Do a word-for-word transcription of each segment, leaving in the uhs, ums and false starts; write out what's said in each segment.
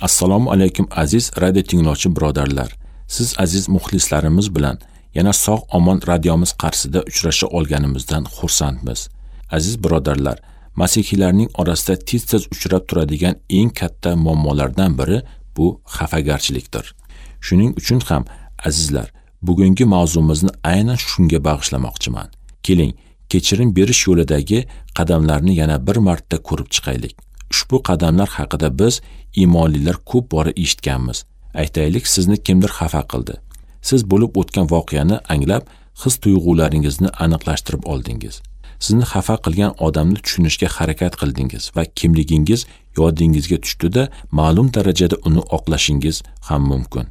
Assalomu alaykum aziz radio tinglovchi birodarlar. Siz aziz muxlislarimiz bilan yana sog' omon radiomiz qarshisida uchrasha olganimizdan xursandmiz. Aziz birodarlar, masihiylarning orasida tez-tez uchrab turadigan eng katta muammolardan biri bu xafagarchilikdir. Shuning uchun ham azizlar, bugungi mavzumizni aynan shunga bag'ishlamoqchiman. Keling, kechirim berish yo'lidagi qadamlarni yana bir marta ko'rib chiqaylik. Ushbu qadamlar haqida biz iymonlilar ko'p bora eshitganmiz. Aytaylik, sizni kimdir xafa qildi. Siz bo'lib o'tgan voqeani anglab, his-tuyg'ularingizni aniqlashtirib oldingiz. Sizni xafa qilgan odamni tushunishga harakat qildingiz va kimligingiz yodingizga tushdi-da, ma'lum darajada uni oqlashingiz ham mumkin.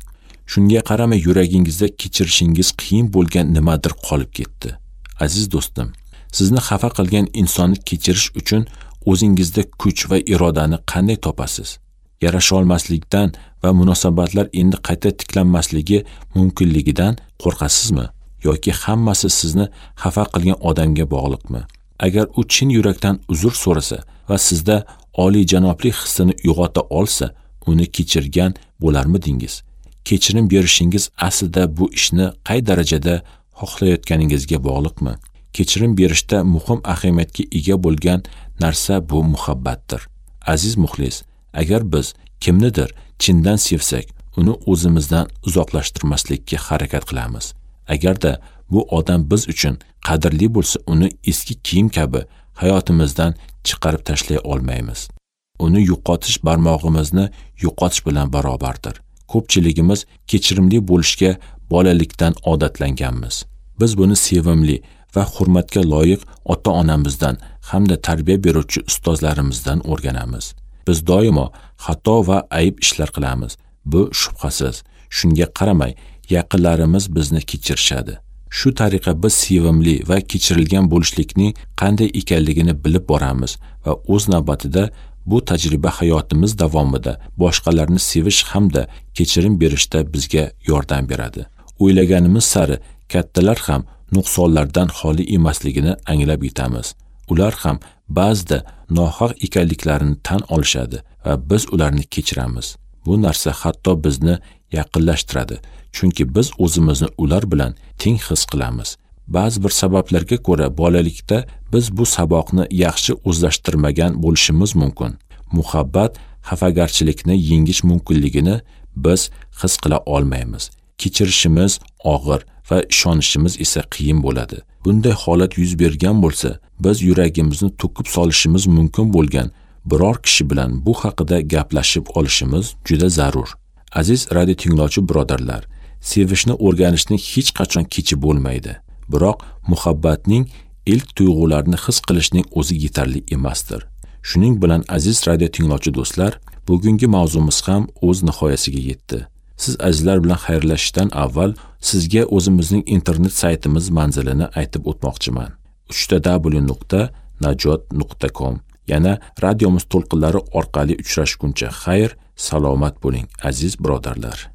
Shunga qaramay yuragingizda kechirishingiz qiyin bo'lgan nimadir qolib ketdi. Aziz do'stim, sizni xafa qilgan insonni kechirish uchun o'zingizda kuch va irodani qanday topasiz? Yarasha olmaslikdan va munosabatlar endi qayta tiklanmasligi mumkinligidan qo'rqasizmi? Yoki hammasi sizni xafa qilgan odamga bog'liqmi? Agar u chin yurakdan uzr so'rasa va sizda oliyjanoblik hissini uyg'ota olsa, uni kechirgan bo'larmidingiz? Kechirim berishingiz aslida bu ishni qay darajada xohlayotganingizga bog'liqmi? Kechirim berishda muhim ahamiyatga ega bo'lgan narsa bu muhabbatdir. Aziz muxlis, agar biz kimnidir chindan sevsak, uni o'zimizdan uzoqlashtirmaslikka harakat qilamiz. Agarda bu odam biz uchun qadrli bo'lsa, uni eski kiyim kabi hayotimizdan chiqarib tashlay olmaymiz. Uni yo'qotish barmog'imizni yo'qotish bilan barobardir. Ko'pchiligimiz kechirimli bo'lishga bolalikdan odatlanganmiz. Biz buni sevimli va hurmatga loyiq ota-onamizdan hamda tarbiya beruvchi ustozlarimizdan o'rganamiz. Biz doimo xato va ayib ishlar qilamiz. Bu shubhasiz. Shunga qaramay, yaqinlarimiz bizni kechirishadi. Shu tariqa biz sevimli va kechirilgan bo'lishlikning qanday ekanligini bilib boramiz va o'z navbatida bu tajriba hayotimiz davomida boshqalarni sevish hamda kechirim berishda bizga yordam beradi. O'ylaganimiz sari kattalar ham nuqsonlardan xoli emasligini anglab yetamiz. Ular ham ba'zida nohaq ekanliklarini tan olishadi va biz ularni kechiramiz. Bu narsa hatto bizni yaqinlashtiradi, chunki biz o'zimizni ular bilan teng his qilamiz. Ba'zi bir sabablarga ko'ra bolalikda biz bu saboqni yaxshi o'zlashtirmagan bo'lishimiz mumkin. Muhabbat xafagarchilikni yengish mumkinligini biz his qila olmaymiz. Kechirishimiz og'ir va ishonishimiz esa qiyin bo'ladi. Bunday holat yuz bergan bo'lsa, biz yuragimizni to'kib solishimiz mumkin bo'lgan biror kishi bilan bu haqida gaplashib olishimiz juda zarur. Aziz radio tinglovchi birodarlar, sevishni o'rganishning hech qachon kechi bo'lmaydi. Biroq muhabbatning ilk tuyg'ularini his qilishning o'zi yetarli emasdir. Shuning bilan aziz radio tinglovchi do'stlar, bugungi mavzumiz ham o'z nihoyasiga yetdi. Siz azizlar bilan xayrlashishdan avval sizga o'zimizning internet saytimiz manzilini aytib o'tmoqchiman. uch ta w nuqta najot nuqta com. Yana radiomiz to'lqinlari orqali uchrashguncha xayr, salomat bo'ling aziz birodarlar.